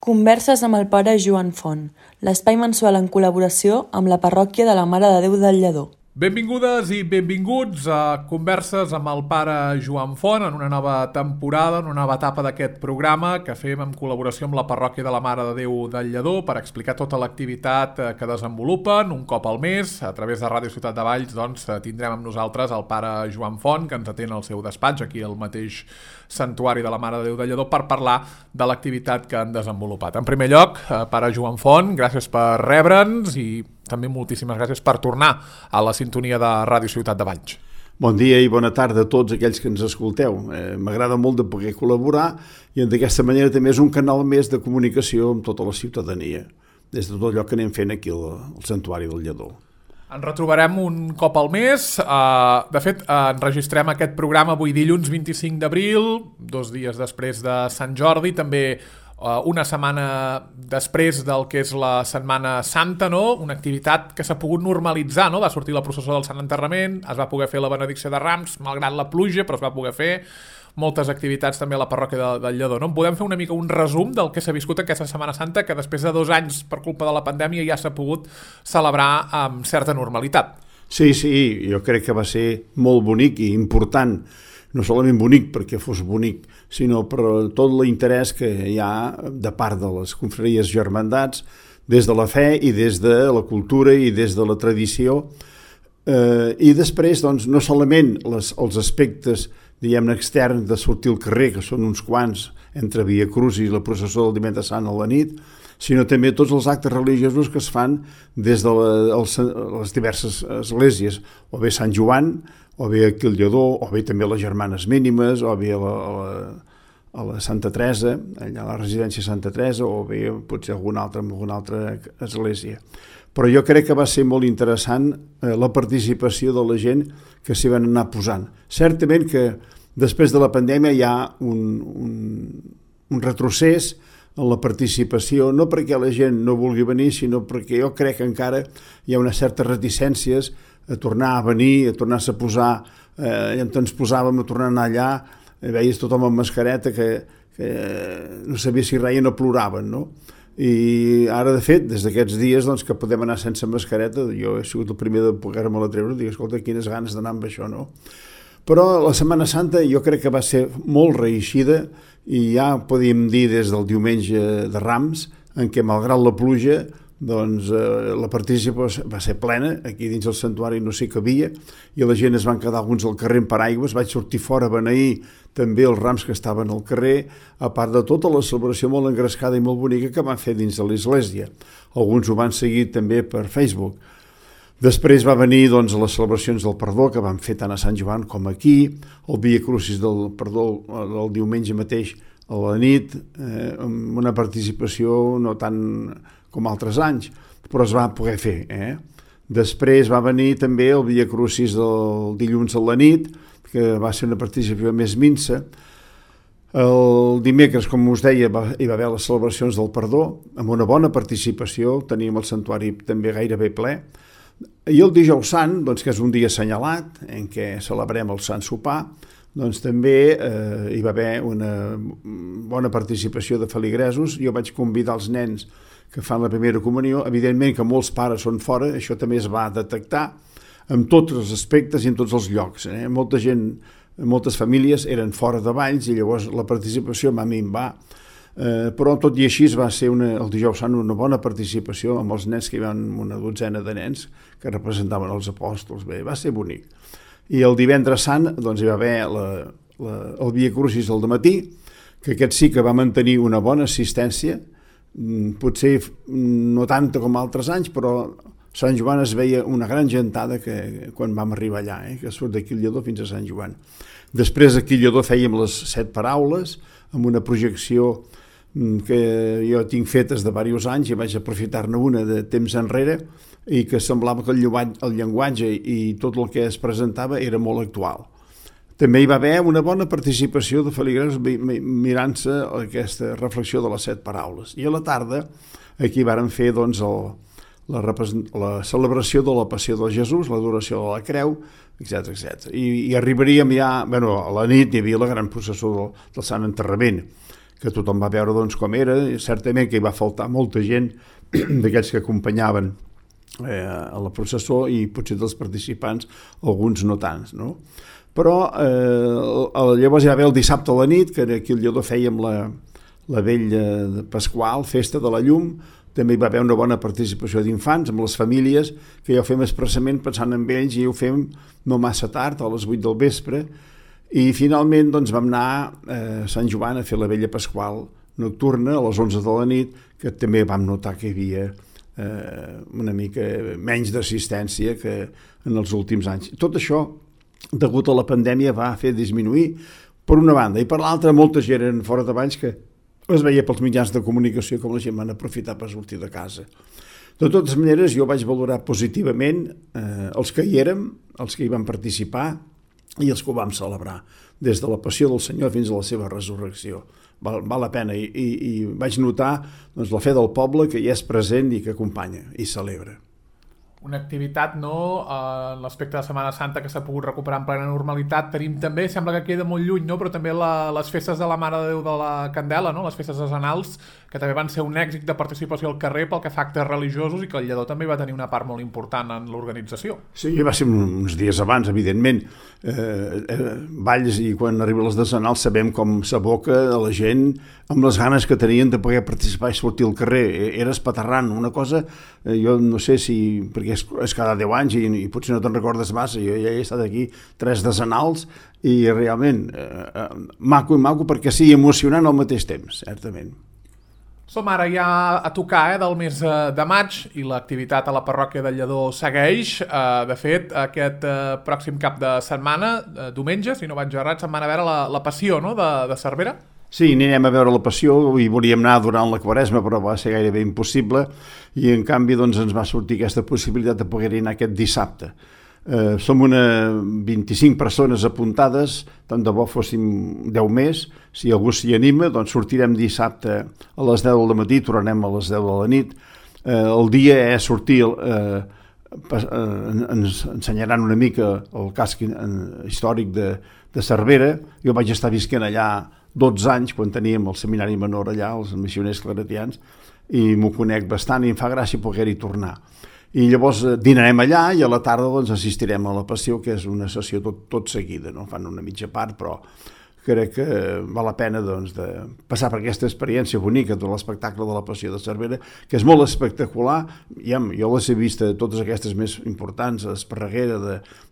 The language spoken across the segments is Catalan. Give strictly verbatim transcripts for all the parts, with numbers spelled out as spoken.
Converses amb el pare Joan Font, l'espai mensual en col·laboració amb la parròquia de la Mare de Déu del Lledó. Benvingudes i benvinguts a Converses amb el pare Joan Font en una nova temporada, en una nova etapa d'aquest programa que fem en col·laboració amb la parròquia de la Mare de Déu del Lledó per explicar tota l'activitat que desenvolupen un cop al mes. A través de Ràdio Ciutat de Valls doncs, tindrem amb nosaltres el pare Joan Font, que ens atén al seu despatx, aquí al mateix Santuari de la Mare de Déu del Lledó, per parlar de l'activitat que han desenvolupat. En primer lloc, pare Joan Font, gràcies per rebre'ns i també moltíssimes gràcies per tornar a la sintonia de Ràdio Ciutat de Valls. Bon dia i bona tarda a tots aquells que ens escolteu. Eh, M'agrada molt de poder col·laborar i d'aquesta manera també és un canal més de comunicació amb tota la ciutadania, des de tot allò que anem fent aquí al, al Santuari del Lledó. Ens retrobarem un cop al mes. Uh, de fet, uh, enregistrem aquest programa avui dilluns vint-i-cinc d'abril, dos dies després de Sant Jordi, també uh, una setmana després del que és la Setmana Santa, no? Una activitat que s'ha pogut normalitzar, no? Va sortir la processó del Sant Enterrament, es va poder fer la benedicció de Rams, malgrat la pluja, però es va poder fer moltes activitats també a la parròquia de, del Lledó, no? Podem fer una mica un resum del que s'ha viscut aquesta Setmana Santa, que després de dos anys per culpa de la pandèmia ja s'ha pogut celebrar amb certa normalitat. Sí, sí, jo crec que va ser molt bonic i important, no solament bonic perquè fos bonic, sinó per tot l'interès que hi ha de part de les confraries germandats, des de la fe i des de la cultura i des de la tradició. Eh, I després, doncs, no solament les, els aspectes diguem-ne extern de sortir al carrer, que són uns quants, entre Via Crucis i la processó del Divendres Sant a la nit, sinó també tots els actes religiosos que es fan des de la, els, les diverses esglésies, o bé Sant Joan, o bé aquí al Lledó, o bé també les Germanes Mínimes, o bé a la, a la, a la Santa Teresa, allà a la residència Santa Teresa, o bé potser alguna altra, alguna altra església. Però jo crec que va ser molt interessant eh, la participació de la gent que s'hi van anar posant. Certament que després de la pandèmia hi ha un, un, un retrocés en la participació, no perquè la gent no vulgui venir, sinó perquè jo crec que encara hi ha unes certes reticències a tornar a venir, a tornar-se a posar, eh, ens posàvem a tornar a anar allà, eh, veies tothom amb mascareta que, que no sabia si reien o ploraven, no? I ara, de fet, des d'aquests dies doncs, que podem anar sense mascareta, jo he sigut el primer de poder-me-la treure, dic, escolta, quines ganes d'anar amb això, no? Però la Setmana Santa jo crec que va ser molt reeixida i ja podíem dir des del diumenge de Rams, en què, malgrat la pluja, doncs eh, la participació va ser plena, aquí dins el santuari no s'hi cabia, i la gent es van quedar alguns al carrer amb paraigües, vaig sortir fora a beneir també els rams que estaven al carrer, a part de tota la celebració molt engrescada i molt bonica que van fer dins de l'església. Alguns ho van seguir també per Facebook. Després va venir doncs, les celebracions del perdó que van fer tant a Sant Joan com aquí, el Via Crucis del perdó el diumenge mateix a la nit, eh, amb una participació no tant com altres anys, però es va poder fer. Eh? Després va venir també el Via Crucis del dilluns a la nit, que va ser una participació més minsa. El dimecres, com us deia, va, hi va haver les celebracions del perdó, amb una bona participació, teníem el santuari també gairebé ple. I el dijous sant, doncs, que és un dia assenyalat, en què celebrem el Sant Sopar, doncs també eh, hi va haver una bona participació de feligresos. Jo vaig convidar els nens que fan la primera comunió. Evidentment que molts pares són fora, això també es va detectar en tots els aspectes i en tots els llocs. Eh? Molta gent, moltes famílies eren fora de Valls i llavors la participació va minvar. Eh, però tot i així va ser una, el dijous sant una bona participació amb els nens, que hi van una dotzena de nens que representaven els apòstols. Bé, va ser bonic. I el divendres sant doncs, hi va haver la, la, el Via Crucis al dematí, que aquest sí que va mantenir una bona assistència, potser no tanta com altres anys, però Sant Joan es veia una gran gentada que, quan vam arribar allà, eh, que surt d'aquí al Lledó fins a Sant Joan. Després aquí al Lledó fèiem les set paraules, amb una projecció que jo tinc fetes de diversos anys i vaig aprofitar-ne una de temps enrere i que semblava que el llenguatge i tot el que es presentava era molt actual. També hi va haver una bona participació de feligresos mirant-se aquesta reflexió de les set paraules. I a la tarda aquí vàrem fer doncs, el, la, la celebració de la Passió de Jesús, l'adoració de la Creu, etcètera etcètera. I, i arribaríem ja, bueno, a la nit hi havia la gran processó del, del Sant Enterrament, que tothom va veure doncs, com era. Certament que hi va faltar molta gent d'aquells que acompanyaven eh, a la processó i potser dels participants, alguns no tants, no? Però eh, llavors hi va haver el dissabte a la nit, que aquí al Lledó fèiem la, la vella de Pasqual, festa de la llum. També hi va haver una bona participació d'infants amb les famílies, que ja ho fem expressament pensant en ells, i ho fem no massa tard, a les vuit del vespre, i finalment doncs, vam anar a Sant Joan a fer la vella Pasqual nocturna a les onze de la nit, que també vam notar que hi havia eh, una mica menys d'assistència que en els últims anys. Tot això, degut a la pandèmia, va fer disminuir per una banda, i per l'altra molta gent eren fora de Valls que es veia pels mitjans de comunicació com la gent van aprofitar per sortir de casa. De totes maneres, jo vaig valorar positivament eh, els que hi érem, els que hi van participar i els que ho vam celebrar, des de la passió del Senyor fins a la seva resurrecció. Val, val la pena, i, i, i vaig notar doncs, la fe del poble que hi és present i que acompanya i celebra. Una activitat, no?, en l'aspecte de Setmana Santa que s'ha pogut recuperar en plena normalitat. Tenim també, sembla que queda molt lluny, no?, però també la, les festes de la Mare de Déu de la Candela, no?, les festes decenals, que també van ser un èxit de participació al carrer pel que fa a actes religiosos, i que el Lledó també va tenir una part molt important en l'organització. Sí, va ser uns dies abans, evidentment. Eh, eh, Valls, i quan arriben les decenals sabem com s'aboca a la gent amb les ganes que tenien de poder participar i sortir al carrer. Era espaterrant, una cosa, eh, jo no sé si, perquè és, és cada deu anys i, i potser no te'n recordes massa, jo ja he estat aquí tres decenals i realment eh, eh, maco i maco, perquè sí, emocionant al mateix temps, certament. Som ara ja a tocar eh, del mes de maig i l'activitat a la parròquia del Lledó segueix. Eh, de fet, aquest eh, pròxim cap de setmana, eh, diumenge, si no vaig errat, se'n van a veure la, la Passió, no?, de, de Cervera. Sí, anirem a veure la Passió, i volíem anar durant la Quaresma, però va ser gairebé impossible, i en canvi doncs, ens va sortir aquesta possibilitat de poder anar aquest dissabte. Eh, som una vint-i-cinc persones apuntades, tant de bo fóssim deu més. Si algú s'hi anima, doncs sortirem dissabte a les deu del matí, tornarem a les deu de la nit. Eh, el dia és sortir, eh, ens ensenyaran una mica el casc històric de, de Cervera. Jo vaig estar visquent allà dotze anys, quan teníem el seminari menor allà, els missioners claretians, i m'ho conec bastant i em fa gràcia poder-hi tornar. I llavors dinarem allà i a la tarda doncs, assistirem a la Passió, que és una sessió tot, tot seguida, no? Fan una mitja part, però crec que val la pena doncs, de passar per aquesta experiència bonica de l'espectacle de la Passió de Cervera, que és molt espectacular. Ja, jo les he vist totes aquestes més importants, Esparreguera,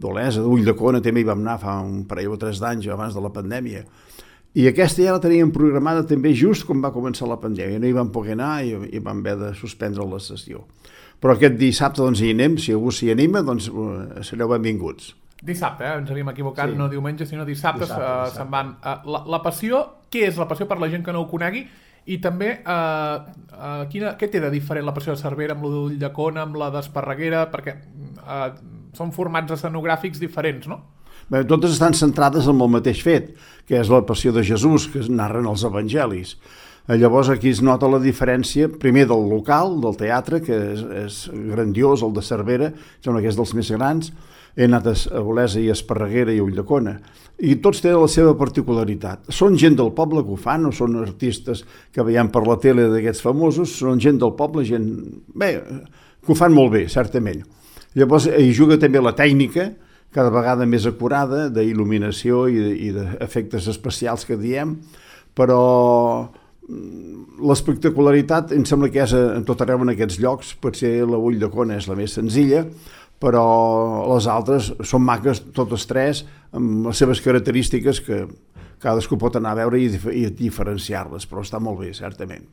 d'Olesa, d'Ulldecona, també hi vam anar fa un parell o tres d'anys abans de la pandèmia. I aquesta ja la teníem programada també just quan va començar la pandèmia. No hi vam poder anar i, i vam haver de suspendre la sessió. Però aquest dissabte doncs, hi anem, si algú s'hi anima, doncs sereu benvinguts. Dissabte, eh? Ens havíem equivocat, sí. No diumenge, sinó dissabte, dissabte, uh, dissabte. Se'n van. Uh, la, la Passió, què és la Passió per la gent que no ho conegui? I també, uh, uh, quina, què té de diferent la Passió de Cervera amb la d'Ulldecona, amb la d'Esparreguera? Perquè uh, són formats escenogràfics diferents, no? Bé, totes estan centrades en el mateix fet, que és la Passió de Jesús, que es narren els evangelis. Llavors aquí es nota la diferència, primer del local, del teatre, que és, és grandiós, el de Cervera, sembla que és dels més grans. He anat a Olesa i a Esparreguera i a Ulldecona, i tots tenen la seva particularitat. Són gent del poble que ho fan, no són artistes que veiem per la tele d'aquests famosos, són gent del poble, gent bé, que ho fan molt bé, certament. Llavors hi juga també la tècnica, cada vegada més acurada, d'il·luminació i d'efectes especials que diem, però l'espectacularitat em sembla que és en tot arreu en aquests llocs. Potser la Ulldecona és la més senzilla, però les altres són maques totes tres, amb les seves característiques que cadascú pot anar a veure i, i diferenciar-les, però està molt bé, certament.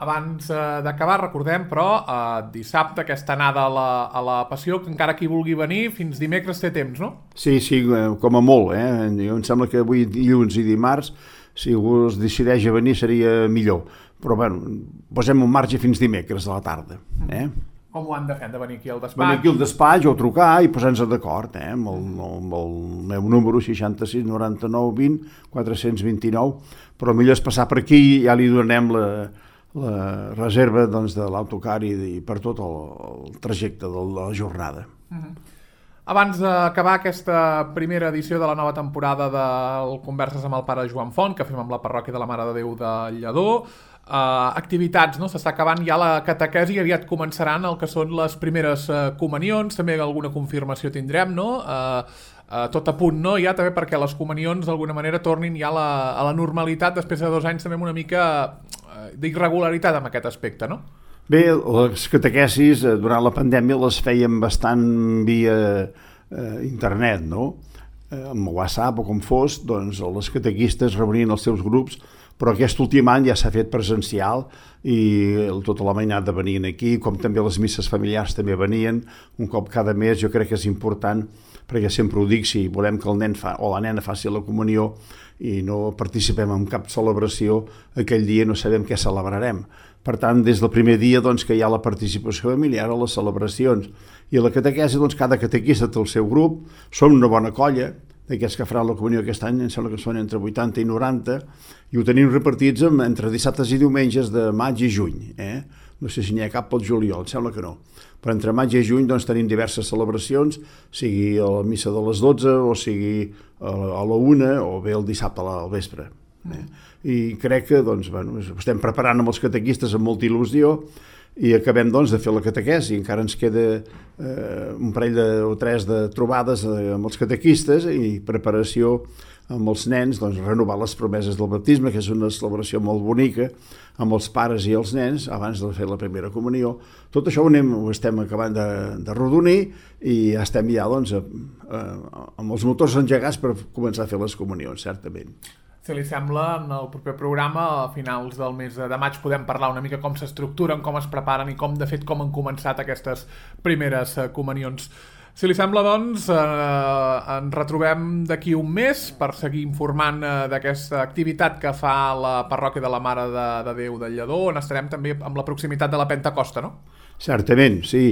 Abans eh, d'acabar, recordem, però, eh, dissabte, aquesta anada a la, a la Passió, que encara qui vulgui venir, fins dimecres té temps, no? Sí, sí, com a molt, eh? Jo em sembla que avui dilluns i dimarts, si algú es decideix a venir seria millor, però bueno, posem un marge fins dimecres a la tarda. Eh? Com ho han de fer? Han de venir aquí al despatx? Venir aquí al despatx o trucar i posar-nos d'acord, eh? amb, el, amb el meu número seixanta-sis noranta-nou vint quatre-cents vint-i-nou, però millor és passar per aquí i ja li donem la, la reserva doncs, de l'autocar i, i per tot el, el trajecte de la jornada. Uh-huh. Abans d'acabar aquesta primera edició de la nova temporada del Converses amb el pare Joan Font, que fem amb la parròquia de la Mare de Déu de Lledó, eh, activitats, no? S'està acabant ja la catequesi, aviat començaran el que són les primeres eh, comunions, també alguna confirmació tindrem, no? Eh, eh, tot a punt, no? Ja també perquè les comunions d'alguna manera tornin ja a la, a la normalitat després de dos anys també amb una mica eh, d'irregularitat en aquest aspecte, no? Bé, les catequesis durant la pandèmia les fèiem bastant via eh, internet, no? Eh, amb WhatsApp o com fos, doncs les catequistes reunien els seus grups, però aquest últim any ja s'ha fet presencial i tota la mainada venien aquí, com també les misses familiars també venien, un cop cada mes. Jo crec que és important, perquè sempre ho dic, si volem que el nen fa, o la nena faci la comunió i no participem en cap celebració, aquell dia no sabem què celebrarem. Per tant, des del primer dia doncs, que hi ha la participació familiar a les celebracions. I a la catequesi, doncs, cada catequista té el seu grup, som una bona colla, d'aquests que faran la comunió aquest any, em sembla que són entre vuitanta i noranta, i ho tenim repartits entre dissabtes i diumenges de maig i juny. Eh? No sé si n'hi ha cap pel juliol, em sembla que no. Però entre maig i juny doncs, tenim diverses celebracions, sigui a la missa de les dotze, o sigui a la una, o bé el dissabte al vespre. Eh? I crec que doncs, bueno, estem preparant amb els catequistes amb molta il·lusió i acabem doncs, de fer la catequesi. Encara ens queda eh, un parell de, o tres de trobades eh, amb els catequistes i preparació amb els nens, doncs, renovar les promeses del baptisme, que és una celebració molt bonica, amb els pares i els nens, abans de fer la primera comunió. Tot això ho, anem, ho estem acabant de, de rodonir i ja estem ja doncs, a, a, amb els motors engegats per començar a fer les comunions, certament. Si li sembla, en el proper programa, a finals del mes de maig, podem parlar una mica com s'estructuren, com es preparen i com, de fet, com han començat aquestes primeres comunions. Si li sembla, doncs, eh, ens retrobem d'aquí un mes per seguir informant eh, d'aquesta activitat que fa la parròquia de la Mare de, de Déu de Lledó, on estarem també amb la proximitat de la Pentecosta, no? Certament, sí.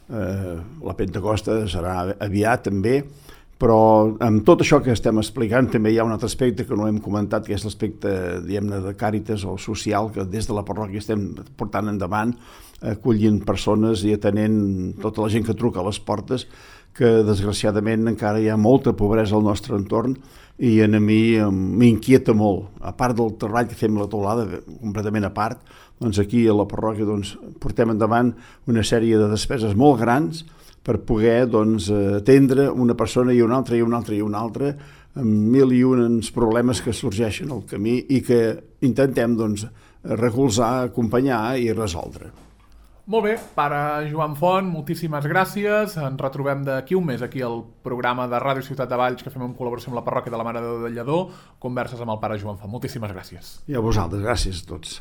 Eh, la Pentecosta serà aviat, també. Però amb tot això que estem explicant també hi ha un altre aspecte que no hem comentat, que és l'aspecte, diguem-ne, de càritas o social, que des de la parròquia estem portant endavant, acollint persones i atenent tota la gent que truca a les portes, que desgraciadament encara hi ha molta pobresa al nostre entorn i a mi m'inquieta molt. A part del treball que fem a la teulada, completament a part, doncs aquí a la parròquia doncs, portem endavant una sèrie de despeses molt grans per poder doncs, atendre una persona i una altra i una altra i una altra amb mil i uns problemes que sorgeixen al camí i que intentem doncs, recolzar, acompanyar i resoldre. Molt bé, pare Joan Font, moltíssimes gràcies. Ens retrobem d'aquí un mes aquí al programa de Ràdio Ciutat de Valls que fem en col·laboració amb la parròquia de la Mare de Déu de Lledó, Converses amb el pare Joan Font. Moltíssimes gràcies. I a vosaltres, gràcies a tots.